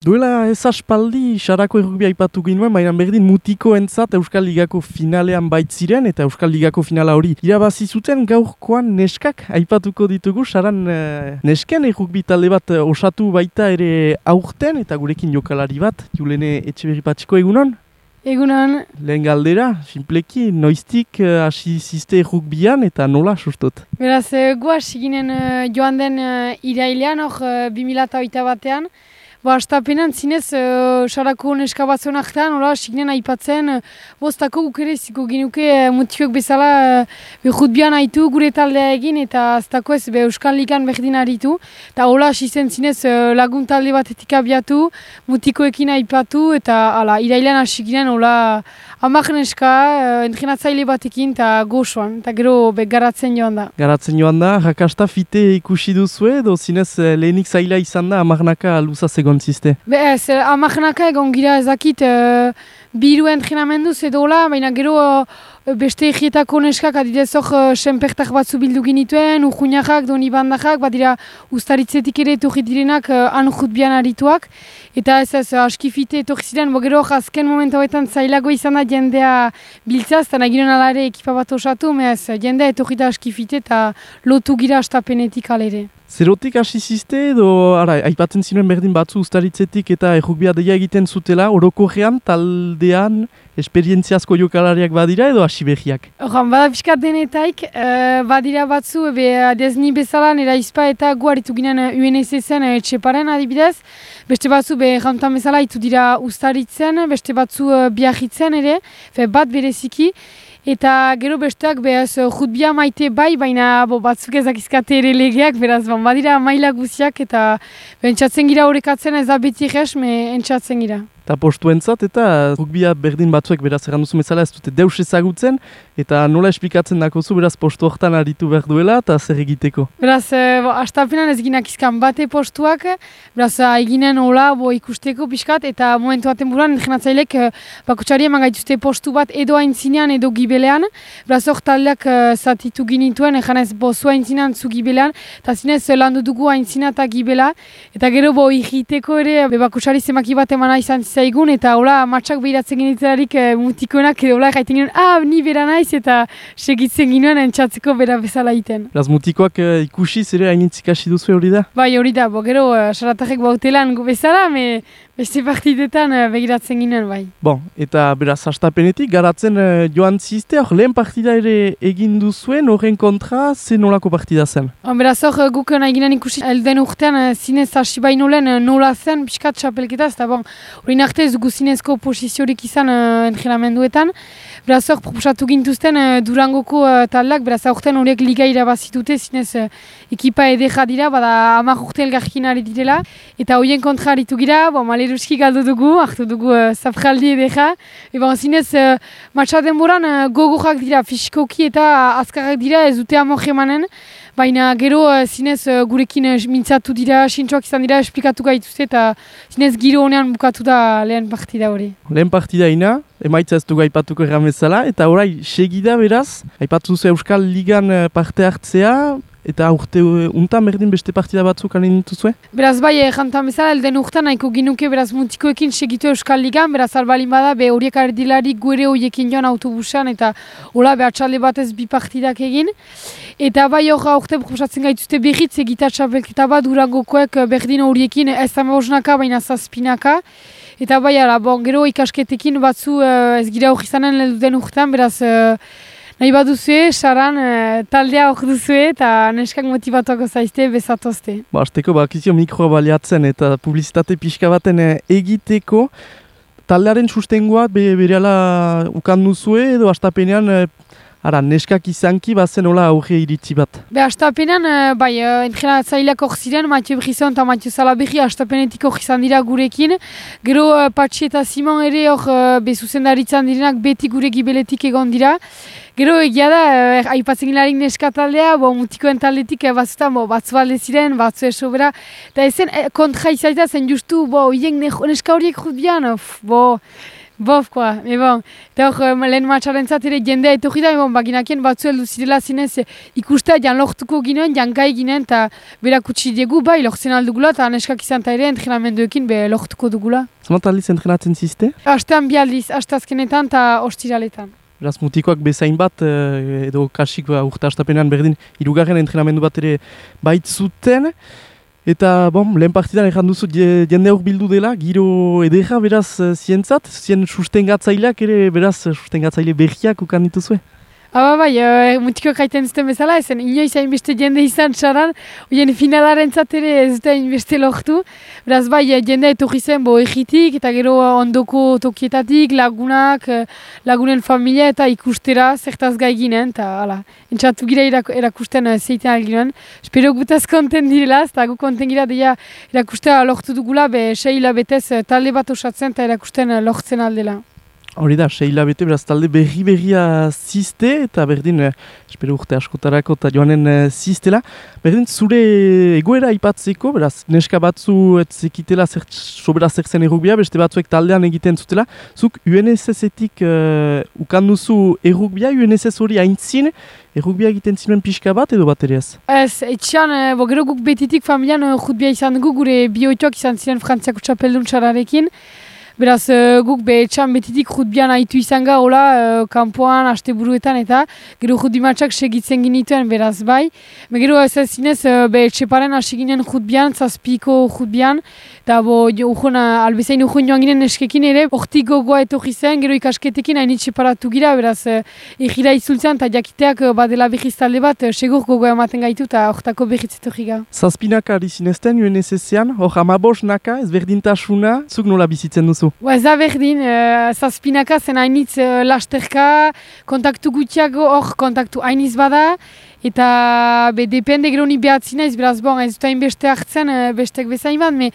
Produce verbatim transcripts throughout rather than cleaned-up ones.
Duela ez aspaldi Sarako errukbia aipatu ginuen, baina berdin mutikoentzat Euskal Ligako finalean baitziren eta Euskal Ligako finala hori irabazi zuten. Gaurkoan neskak aipatuko ditugu. Saran eh, nesken errukbi talde bat osatu baita ere aurten eta gurekin jokalari bat, Julene Etxeberri Patxiko, egunon? Egunon. Lehen galdera, sinpleki, noiztik hasi uh, ziste errukbian eta nola sustot? Beraz, uh, gu hasi ginen uh, joan den uh, irailean, hor uh, bi mila hogeita batean. Ba, astapenan zinez, uh, Sarako neska batzuen artean, hola, signen aipatzen, uh, bostako guk ere ziko ginuke uh, mutioek bezala uh, rugbian haitu gure taldea egin, eta aztako ez be Euskal Ligan berdin aritu. Eta hola, hasi zen zinez uh, lagun talde batetik abiatu, mutikoekin aipatu, eta ala, irailean hasi ginen, hola, amak neska, uh, entrenatzaile batekin, eta gozoan, eta gero be garatzen joan da. Garatzen joan da, jakasta fite ikusi duzue, edo zinez uh, lehenik zaila izan da, amarnaka luza zegoen ziste? Be ez, amarnaka egon gira ezakit, uh, biru entrenamenduz edo hola, baina gero uh, beste egietako neskak adidez hor uh, senpertak batzu bildu ginituen, urjunakak, doni bandakak, badira ustaritzetik ere etorri direnak uh, han rugbian arituak, eta ez ez, aski fite etorri ziren, bo gero azken momentu hauetan zailago izan da jendea biltzaz, eta nahi ginen alare ekipa bat osatu, me ez, jendea etorri da aski fite eta lotu gira astapenetik alere. Zerotik hasi ziste edo, ara, aipatzen zinuen berdin batzu ustaritzetik eta errukbia deia egiten zutela, orokorrean, taldean, esperientziazko jokalariak badira edo hasi behiak? Horan, bada pixkat denetaik, uh, badira batzu, ebe adezni bezala, nera izpa eta gu haritu ginen U N S zen etxeparen adibidez, beste batzu be jantan bezala hitu dira ustaritzen, beste batzu uh, biarritzen ere, fe bat bereziki, eta gero besteak behaz rugbia maite bai, baina bo, batzuk ezakizkate ere legeak, beraz ban, badira maila guziak eta entzatzen gira horrekatzen ez da beti jes, me entzatzen gira. Eta postuentzat eta rugbia berdin batzuek beraz erranduzu bezala ez dute deus ezagutzen eta nola esplikatzen dakozu beraz postu horretan aritu behar duela eta zer egiteko? Beraz, e, astapenan ez ginak izkan bate postuak, beraz eginen hola bo, ikusteko pixkat eta momentu baten buruan entrenatzailek bakotxari eman gaituzte postu bat edo aintzinean edo gibelean, beraz hor taldeak zatitu ginituen, egan ez bo zu aintzinean zu gibelean, eta zinez landu dugu aintzina eta gibela, eta gero bo egiteko ere bakotxari zemaki bat emana izan zaigun, eta hola matxak behiratzen genitelarik e, mutikoenak edo hola gaiten ginen, ah, ni bera naiz, eta segitzen ginen entzatzeko bera bezala iten. Beraz mutikoak e, ikusiz ere hainitzik hasi duzu hori da? Bai, hori da, bo gero uh, saratarrek bautelan gu bezala, me beste partidetan uh, begiratzen ginen, bai. Bon, eta beraz hastapenetik garatzen uh, joan zizte, hor lehen partida ere egin duzuen, horren kontra, ze nolako partida zen? On, beraz hor guk nahi ginen ikusi, elden urtean uh, zinez hasi baino lehen uh, nola zen, pixkat txapelketa, eta bon, hori arte ez dugu zinezko posiziorik izan uh, entrenamenduetan. Beraz hor proposatu gintuzten uh, Durangoko uh, taldak, beraz aurten horiek liga irabazitute zinez uh, ekipa edera dira, bada hamar urte elgarkin ari direla. Eta horien kontra aritu gira, bon, maleruski galdu dugu, hartu dugu uh, zafraldi edera. E bon, zinez uh, matxa denboran uh, gogorrak dira, fisikoki eta uh, azkarrak dira, ez dute amor emanen. Baina gero uh, zinez uh, gurekin uh, mintzatu dira, sintxoak izan dira, esplikatu gaituzte eta zinez giro honean bukatu da lehen partida hori. Lehen partida ina, emaitza ez dugu aipatuko erran bezala, eta orai segida beraz, aipatu duzu Euskal Ligan uh, parte hartzea, eta urte untan berdin beste partida batzuk alin dituzue? Beraz bai, jantan bezala, elden urtean nahiko ginuke beraz mutikoekin segitu Euskal Ligan, beraz albalin bada, be horiek ardilarik guere horiekin joan autobusan, eta hola be atxalde batez bi partidak egin. Eta bai hor aurte proposatzen gaituzte berriz egita txapelketa bat Durangokoek berdin horiekin ez hamabosnaka baina zazpinaka. Eta bai ala, bon, gero ikasketekin batzu ez gira hori izanen den urtean, beraz nahi bat duzue, saran taldea hor duzue eta neskak motivatuako zaizte bezatozte. Ba, azteko bakizio mikroa baliatzen eta publizitate pixka baten egiteko, taldearen sustengoa be, berehala ukan duzue edo astapenean ara, neskak izanki bazen hola aurre iritzi bat. Be, astapenean, bai, entrenatzaileak hor ziren, Mathieu Brisson eta Mathieu Salaberri astapenetik hor izan dira gurekin. Gero Patxi eta Simon ere hor be zuzendaritzan direnak beti gure gibeletik egon dira. Gero egia da, aipatzen gilarik neska taldea, bo, mutikoen taldetik batzutan bo, batzu alde ziren, batzu esobera. Eta ezen kontra izaita zen justu, bo, hien neska horiek rugbian, bo, Bof, koa, me bon. Eta hor, lehen matxaren ere jendea etorri da, me bon, baginakien batzu heldu zirela zinez ikustea jan lortuko ginen, jan gai ginen, eta berak utzi diegu, bai, lortzen aldugula, eta neskak izan eta ere entrenamenduekin be lortuko dugula. Zamat aldiz entrenatzen zizte? Astean bi aldiz, astazkenetan eta ostiraletan. Beraz, mutikoak bezain bat, edo kasik urte astapenean berdin, hirugarren entrenamendu bat ere baitzuten. Eta, bom, lehen partidan erran duzu jende hor bildu dela, giro edera beraz zientzat, zien sustengatzaileak ere beraz sustengatzaile berriak ukan dituzue? Aba bai, e, mutikoak haiten zuten bezala, ezen inoiz hainbeste jende izan txaran, oien finalaren ere ez dute hainbeste lortu. Beraz bai, jende etorri zen bo egitik eta gero ondoko tokietatik, lagunak, lagunen familia eta ikustera zertaz gai ginen, eta hala, entxatu gira irak, erakusten zeiten alginen. Espero gutaz konten direla, eta gu konten gira deia erakustea lortu dugula, be sei hilabetez talde bat osatzen eta erakusten lortzen aldela. Hori da, sei hilabete, beraz talde berri-berria zizte, eta berdin, eh, espero urte askotarako eta joanen eh, ziztela. Berdin, zure egoera aipatzeko, beraz, neska batzu etzekitela zer, sobera zer zen errugbia, beste batzuek taldean egiten zutela. Zuk U N S S-etik uh, ukan duzu errugbia, U N S S hori haintzin, errugbia egiten zinuen pixka bat edo bat ere ez? Ez, etxean, e, bo, gero guk betitik familian uh, jutbia izan dugu, gure bioitoak izan ziren Frantziako txapeldun txararekin. Beraz, uh, guk be etxan betitik jutbian haitu izan ga, hola, uh, kanpoan, asteburuetan eta gero jutbimatxak segitzen ginituen, beraz, bai. Be, gero ez ez zinez, uh, be etxeparen hasi ginen jutbian, zazpiko jutbian, eta bo, ujon, albezain ujon joan ginen eskekin ere, hortik gogoa etorri zen, gero ikasketekin hain itxeparatu gira, beraz, uh, egira izultzen, eta jakiteak uh, badela behiz talde bat, uh, segur gogoa ematen gaitu, eta hortako behitz etorri ga. Zazpinaka ari zinezten U N S S-ean, hor amabos naka, ez berdintasuna, zuk nola bizitzen duzu? Ba, ez da berdin, uh, zazpinaka zen hainitz uh, lasterka, kontaktu gutiago hor kontaktu hainiz bada, eta be, depende gero ni behatzina ez, beraz bon, ez dut hain beste hartzen, uh, bestek bezain bat, me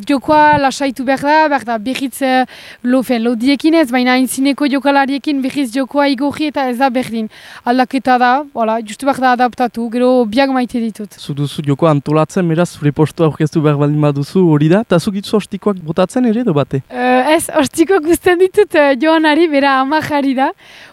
jokoa lasaitu behar da, behar da behitz uh, lo, lodiekin ez, baina hainzineko jokalariekin behitz jokoa igorri eta ez da berdin. Aldaketa da, voilà, justu behar da adaptatu, gero biak maite ditut. Zu duzu jokoa antolatzen, beraz, zure postua aurkeztu behar baldin baduzu hori da, eta zuk itzu ostikoak botatzen ere edo bate? Uh, ez, ostikoak guztien ditut uh, joanari, bera amajari da,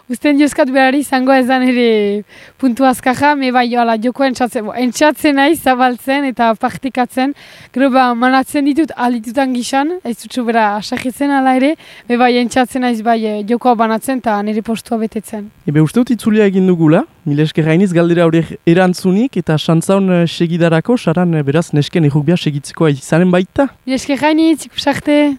guztien jozkat berari izango ezan ere puntu azkaja, me bai joala joko entxatzen, entxatzen nahi zabaltzen eta praktikatzen, gero ba manatzen ditut alditutan gizan, ez dutxu bera asakitzen ala ere, me bai entxatzen naiz bai jokoa banatzen eta nire postua betetzen. Ebe uste dut itzulia egin dugula, mila esker gainiz galdera horiek erantzunik eta xantzaun segidarako, saran beraz nesken errugbia segitzeko izanen baita. Mila esker gainiz, ikusarte!